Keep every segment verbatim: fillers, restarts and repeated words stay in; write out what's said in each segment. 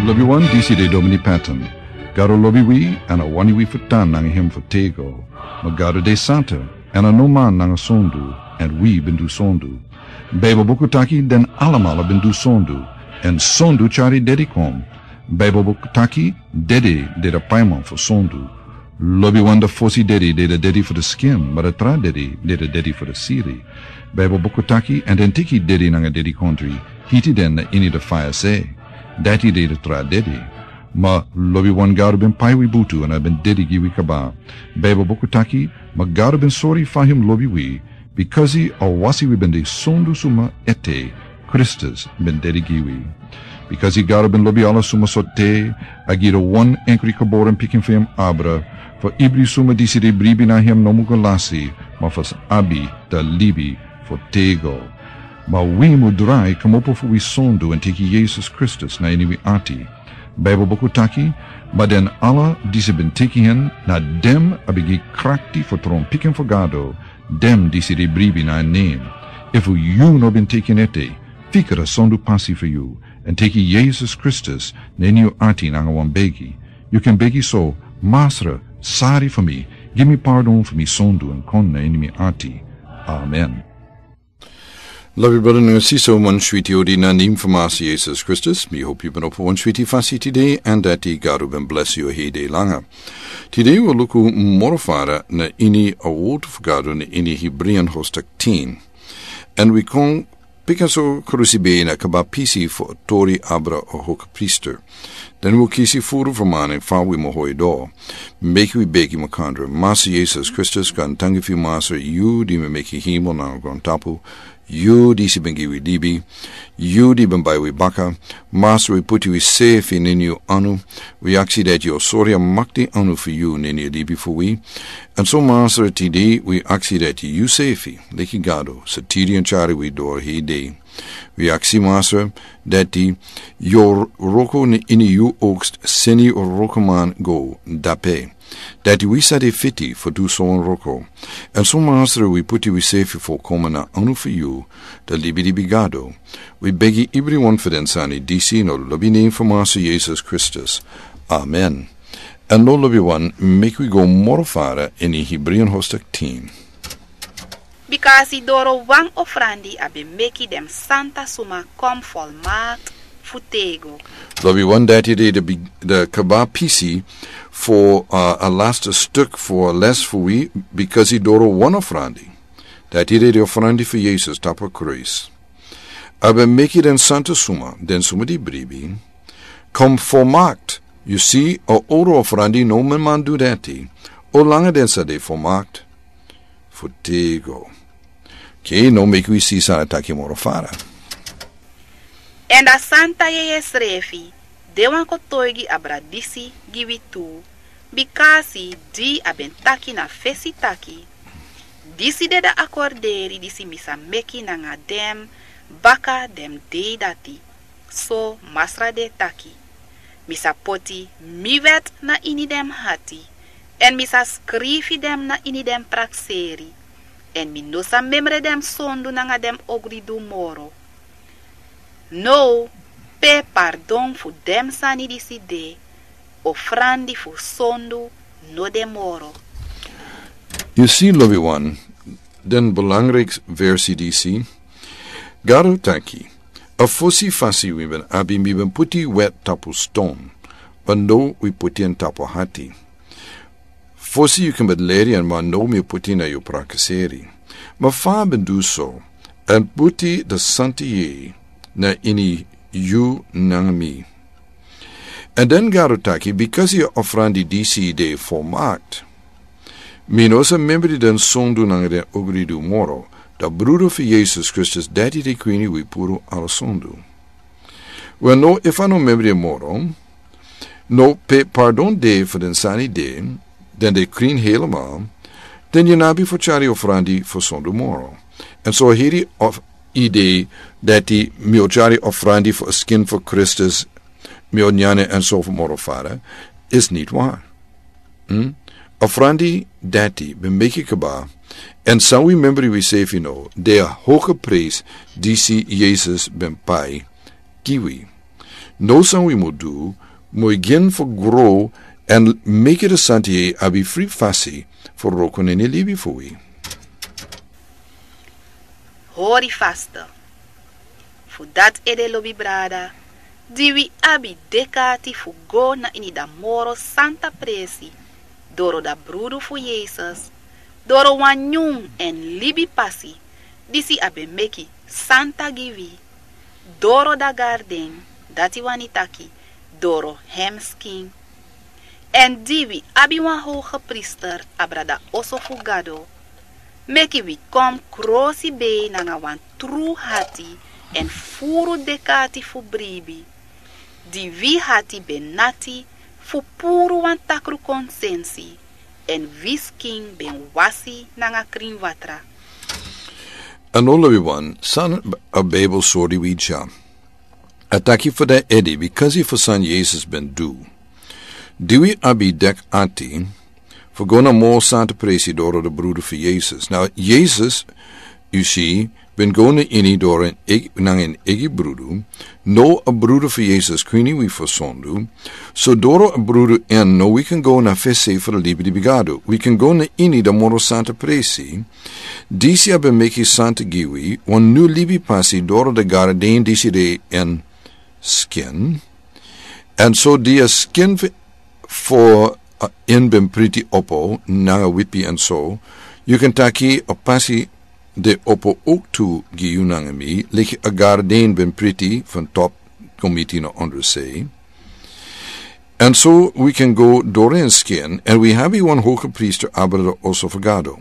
Lobiwan, disi de Domini Patton. Gado lobi wi, èn a wani wi fu tan nanga hem fu tego. Ma Gado de santa, èn a no man nanga sondu, èn wi ben du sondu. Baibel buku taki den alamala ben du sondu, èn sondu tyari dedi kon. Baibel buku taki dede de da paiman fu sondu. Lobiwan, da fosi dedi de da dedi fu da skin, ma da tra dedi de da dedi fu da siri. Baibel buku taki, èn den teki dedi nanga dedikontri, hiti den na ini da faya se. Dati de da tra dedi. Ma lobiwan, Gado ben pai wi butu èn a ben dedi gi wi kaba. Baibel buku taki, ma Gado ben sori fa hem lobi wi, bikasi a wasi wi ben de sondu suma ete, Kristus ben dedi gi wi. Bikasi Gado ben lobi ala suma so te, a gi da wan enkri geboren pikin fu hem abra, fu ibri suma disi de bribi na hem no mu go lasi, ma fu sa abi da libi fu tego. Ma wi mu drai kmopo fu wi sondu èn teki Yesus Kristus na ini wi ati. Baibel buku taki, ma den ala disi ben teki hen, na dem a ben gi krakti fu tron pikin fu Gado, dem disi de bribi na en nen. Efu yu no ben teki en ete, fika da sondu pasi fu yu, èn teki Yesus Kristus na ini yu ati nanga wan begi. Yu kan begi so: Masra, sari fu mi, gi mi pardon fu mi sondu èn kon na ini mi ati. Amen. Lobi brada nanga sisa, wan switi odi na nen fu Masra Yesus Kristus. Mi hopi yu ben opo wan switi fasi tide, èn dati Gado ben blesi yu hei dei langa. Tide wi o luku moro fara na ini a word fu Gado na ini Hebreean hoofdstuk tin. Èn wi kon pikin so krusi ben na kaba pisi fu a tori abra a hoge priester. Den wi o kisi furu fu mani fa wi mu hoi do. Meki wi begi makandra. Masra Yesus Kristus, gaantangi fu yu Masra, yu di mi meki hemel nanga grontapu, yu disi ben gi wi libi, yu di ben bai wi baka. Masra, wi puti wisefi na ini yu anu. Wi aksi dati yu o sori a makti anu fu yu na ini a libi fu wi. Èn so Masra, tide wi aksi dati yu sefi, leki Gado, sa tiri èn tyari wi doro hei dei. Wi aksi Masra dati yu o wroko na ini yu oogst, seni wrokoman go dape. Dati wi sa de fiti fu du so wan wroko. Èn so Masra, wi puti wisefi folkomen na anu fu yu, da libilibi Gado. Wi begi ibriwan fu den sani disi na lobi nen fu Masra Yesus Kristus. Amen. Èn now lobiwan, meki wi go moro fara ini Hebreean hoofdstuk tin. Bikasi doro wan ofrandi a ben meki den santa suma kon folmakti fu tego. Lobiwan, dati de da bi-, da kaba pisi fu, uh, a laste stuk fu a les fu wi, bikasi doro wan ofrandi. Dati de da ofrandi fu Yesus tapu a kruis. A ben meki den santa suma, den suma di bribi, kon folmakti. Yu si, a owru ofrandi no ben man du dati. Olanga den sa de folmakti fu tego. Oke, now meki wi si san a taki moro fara. Èn da Santa Yeye srefi de wan kotoigi abra disi gi wi tu, bikasi di a ben taki na fesi taki: Disi de da akorderi disi mi sa meki nanga den baka den dei dati. So Masra de taki: Mi sa poti mi wet na ini den ati, èn mi sa skrifi den na ini den prakseri, èn mi no sa memre den sondu nanga den ogridu moro. Now, pe pardon fu den sani disi de, ofrandi fu sondu no de moro. Yu si, lobiwan, den belangrijk versi disi. Gado taki: A fosi fasi wi ben abi, mi ben puti wet tapu ston, ma now wi puti en tapu ati. Fosi yu ken ben leri en, ma now mi o puti en na yu prakseri. Ma fa a ben du so, èn puti da Santa Yeye na ini yu nanga mi. Èn den Gado taki: Bikasi a ofrandi disi de folmakti, mi no sa memre den sondu nanga den ogridu moro, da brudu fu Yesus Kristus, dati de krin wi puru ala sondu. Wel, now, efu a no memre moro, now pe pardon de fu den sani de, den de krin helemaal, den yu no abi fu tyari ofrandi fu sondu moro. Èn so heri of idee dati mi o tyari ofrandi fu a skin fu Kristus, mi o nyan en èn so moro fara, is niet waar. Hmm? Ofrandi dati ben meki kaba, èn san wi memre wi sefi now, de a hoge prijs disi Yesus ben pai gi wi. No san wi mu du, mu yu gin fu grow, èn meki de santi yei abi fri fasi fu roko na ini libi fu wi. Hori faste. Fu dati ede lobi brada, di wi abi dek'ati fu go na ini da moro santa presi, doro da brudu fu Yesus, doro wan nyun èn libi pasi, disi a ben meki santa gi wi, doro da garden, dati wani taki, doro hem skin. Èn di wi abi wan howgepriester abra da oso fu Gado, meki wi kon krosibei nanga wan tru hati èn furu dek'ati fu bribi, di wi hati ben nati fu puru wan takru konsensi, èn wi skin ben wasi nanga krin watra. A no lobi wan, san a Bijbel sori wi dya. A taki fu den ede, bikasi fu san Yesus ben du. Di wi abi dek'ati fu go na moro santa presi doro de brudu fu Yesus. Na Yesus, yu si, ben go na ini doro en eg-, nanga en eigi brudu. No a brudu fu Yesus kwini wi fu sondu. So doro a brudu en no wi kan go na fesi fu de libi di bigado. Wi kan go na ini da moro santa presi. Disi a ben meki santa gi wi, wan nu libi pasi doro de garden disi de en skin. Èn so di a skin fu, fu, a, en ben priti opo, nanga wipi èn so, yu kan taki a pasi de opo ook tu gi yu nanga mi, leki a garden ben priti van top kon miti na onder se. Èn so wi kan go doro en skin, èn wi abi wan howgepriester abra da oso fu Gado.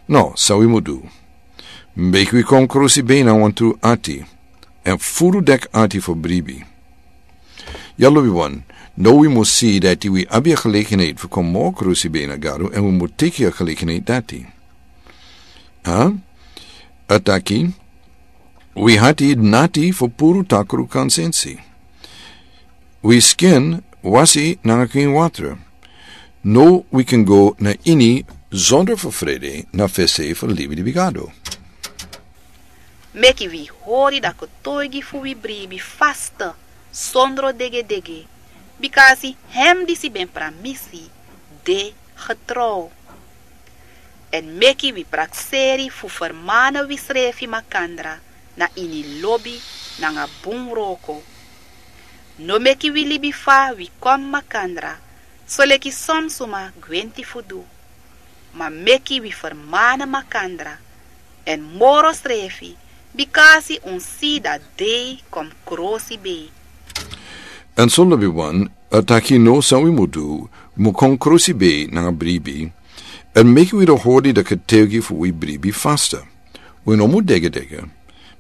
No, san wi mu du. Meki wi kon krosibei nanga wan tru ati, èn furu dek'ati fu bribi. Ya lobi wan, no wi mu si dati wi abi a gelegenheid fu kon moro krosibei na Gado, èn wi mu teki a gelegenheid dati. Ha? A taki, wi hati nati fu puru takru konsensi. Wi skin wasi nanga krin watra. No wi kan go na ini zonder fu frede na fesi fu libi di bigado. Meki wi hori da kotoigi fu wi bribi faste, sondro degedege, bikasi hem disi ben pramisi de getrouw. Èn meki wi prakseri fu fermana wi srefi makandra na ini lobi nanga bun wroko. No meki wi libi fa wi kon makandra, soleki son suma gwenti fu du. Ma meki wi fermana makandra, èn moro srefi, bikasi un si da dei kon krosibei. Èn so lobi wan, a taki no san wi mu du, mu kon krosibei nanga bribi, èn meki wi da hori da kotoigi fu wi bribi faste. Wi no mu degedege,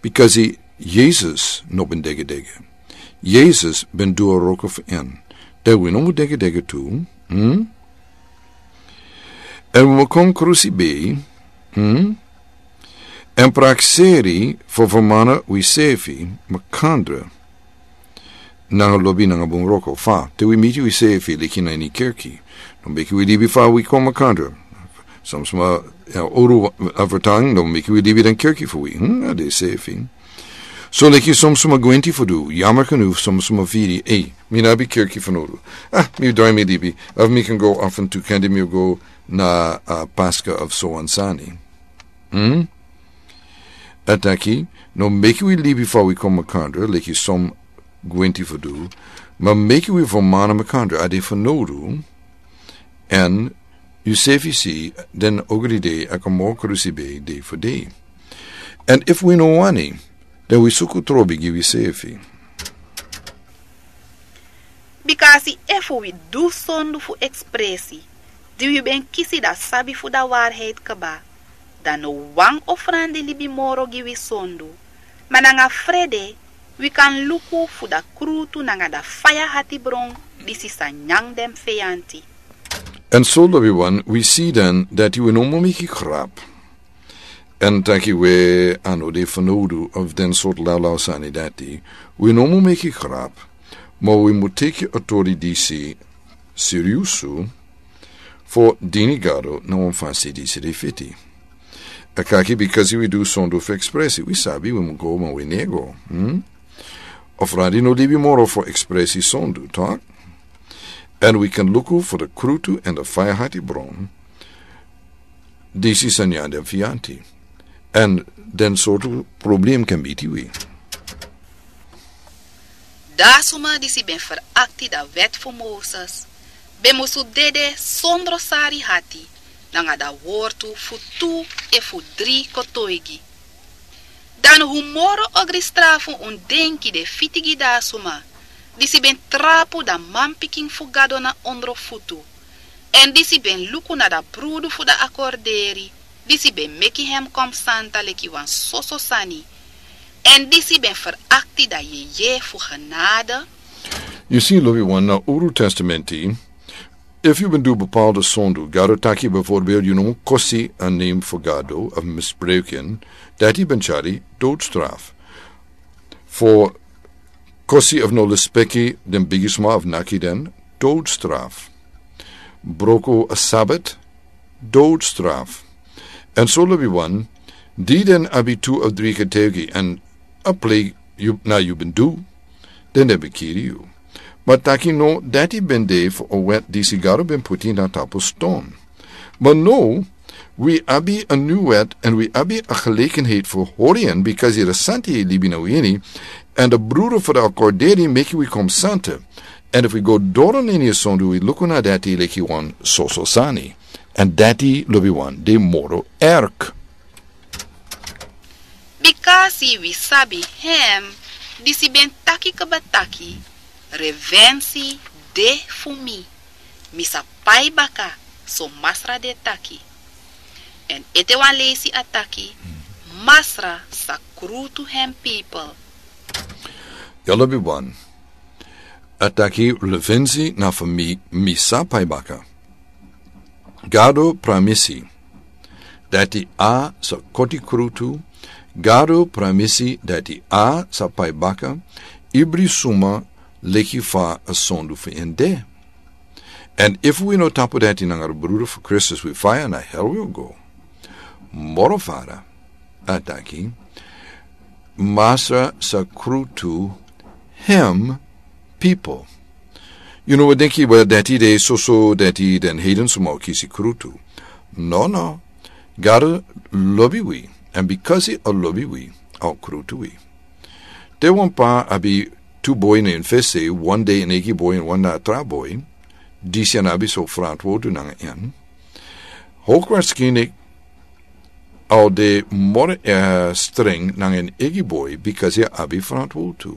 bikasi Yesus no ben degedege. Yesus ben du a wroko fu en. Dan wi no mu degedege tu, hm? Èn wi mu kon krosibei, hm? Èn prakseri fu fermana wi srefi makandra nanga lobi nanga bun wroko fa, te wi miti wi srefi leki na ini kerki. No meki wi libi fa wi kon makandra. Son suma, ya, owru overtuiging, no meki wi libi den kerki fu wi. Hm, a de srefi. So leki son suma gwenti fu du, yammer genoeg, son suma firi, ei, mi no abi kerki fanowdu. Ah, mi drai mi libi, of mi kan go af en toe kandi mi go na, uh, Pascha of so wan sani. Hm? A taki, no meki wi libi fa wi kon makandra, leki son gwenti fu du, ma meki wi fermana makandra, a de fanowdu, èn yu srefi si, den ogri dei a kon moro krosibei dei fu dei. Èn efu wi no wani, dan wi suku trobi gi wi srefi. Bikasi efu wi du sondu fu ekspresi, di wi ben kisi da sabi fu da waarheid kaba, dan no wan ofrandi libi moro gi wi sondu, ma nanga frede, wi kan luku fu da krutu nanga da faya hatibron, disi sa nyan den feyanti. Èn so lobi wan, wi si dan dati wi no mu meki grap. Èn taki we a no de fanowdu of den sortu lawlaw sani dati, wi no mu meki grap, ma wi mu teki a tori disi seriusu, fu dini Gado na wan fasi disi de fiti. A kaki, bikasi wi du sondu fu ekspresi, wi sabi wi mu go ma wi no e go, hm? Of radi no libi moro fu ekspresi sondu, tak? Èn wi kan luku fu de krutu èn de fayahati bron. Disi sani a den fianti. Èn den sortu problem kan miti wi. Da suma disi ben ferakti da wet fu Moses ben musu dede sondro sari hati nanga da wortu fu tu efu dri kotoigi. Dan hu moro ogri strafu un denki de fiti gi da suma disi ben trapu da manpikin fu Gado na ondro futu, èn disi ben luku na da brudu fu da akorderi disi ben meki hem kon santa leki wan soso sani, èn disi ben ferakti da yeye fu genade? Yu si, lobi wan, na Uru Testamenti, efu yu ben du bepaalde sondu, Gado taki bijvoorbeeld yu no mu kosi a nen fu Gado of misbruik en, dati ben tyari doodstraf. Fu kosi of no lespeki den bigisma of naki den, doodstraf. Broko a Sabat, doodstraf. Èn so, lobi wan, di den abi tu of dri getuigi èn a plei yu, na yu ben du, den den ben kiri yu. Ma taki no, dati ben de fu a wet disi Gado ben puti na tapu ston. Ma no, wi abi a nyun wet èn wi abi a gelegenheid fu hori en, bikasi de Santi e libi na wi ini, èn de brudu fu de akorderi meki wi kon santa. Èn efu wi go doro na ini a sondu, wi luku na dati leki wan soso sani. Èn dati, lobi wan, de moro erg. Bikasi wi sabi hem disi ben taki kaba taki, revensi de fu mi, mi sa pai baka, so Masra de taki. Èn ete wan leisi a taki, Masra sa krutu hem pipel. Ya, lobi wan. A taki, revensi na fu mi, mi sa pai baka. Gado pramisi dati a sa koti krutu. Gado pramisi dati a sa pai baka ibri suma leki fa a sondu fu en de. Èn efu wi no tapu dati nanga de brudu fu Kristus, wi faya, na hel wi o go. Moro fara, a taki, Masra sa krutu hem pipel. Yu no, wi denki, wel, dati de soso dati den heiden suma o kisi krutu. No, no. Gado lobi wi. Èn bikasi a lobi wi, a o krutu wi. Te wan pa abi tu boi na en fesi, wan de en eigi boi èn wan na a tra boi, disi a no abi so frantwortu nanga en. Hoogwaarschijnlijk a o de moro, eh, streng nanga en eigi boi, bikasi a abi frantwortu.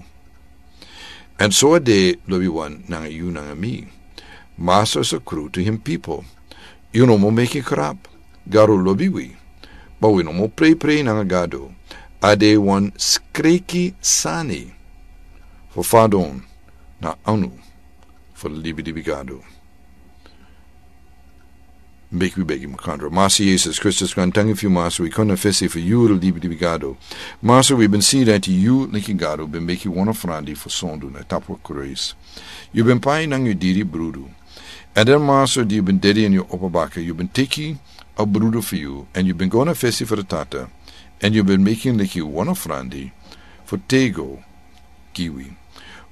Èn so a de, lobi wan, nanga yu nanga mi. Masra sa krutu hem pipel. Yu no mu meki krap. Gado lobi wi. Ma wi no mu preiprei nanga Gado. A de wan skreki sani fu fadon na anu fu libilibi Gado. Meki wi begi makandra. Masra Yesus Kristus, grantangi fu yu, Masra, wi kon na fesi fu yu, libilibi Gado. Masra, wi ben si dati yu, leki Gado, ben meki wan ofrandi fu sondu na tapu a kruis. Yu ben pai nanga yu diri brudu. Èn den, Masra, di yu ben dede èn yu opo baka, yu ben teki a brudu fu yu, èn yu ben go na fesi fu de Tata, èn yu ben meki en leki wan ofrandi fu tego gi wi.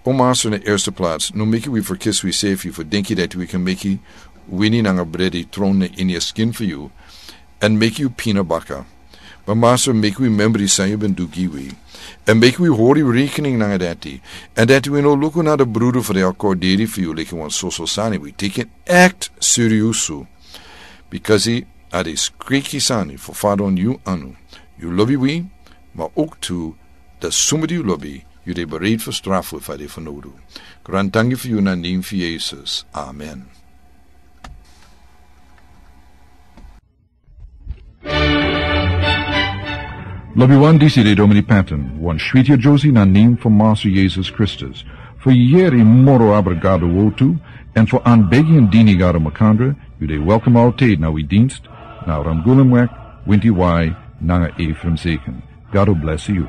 O Masra, na eerste plaats, no meki wi ferkisi wi sefi fu denki dati wi kan meki wini nanga bredi tron na ini a skin fu yu, èn meki yu pina baka. Ma Masra, meki wi memra san yu ben du gi wi. Èn meki wi hori rekening nanga dati. Èn dati wi no luku na de brudu fu de akorderi fu yu leki wan soso sani, wi teki en echt serieus. Bikasi a de skreki sani fu fadon yu anu. Yu lobi wi, ma ook tu, dati suma di yu lobi, yu de bereid fu strafu efu a de fu nodu. Grantangi fu yu na nen fu Yesus. Amen. Lobi wan, disi de Domini Patton, wan switi a Josie na nen fu Masra Yesus Kristus. Fu yere moro abra Gado wortu, èn fu anbegi èn dini Gado makandra, yu de welkom altijd na wi dienst, na Ramgulemweg, winti wai, nanga Ephraim Zeken. Gado bless yu.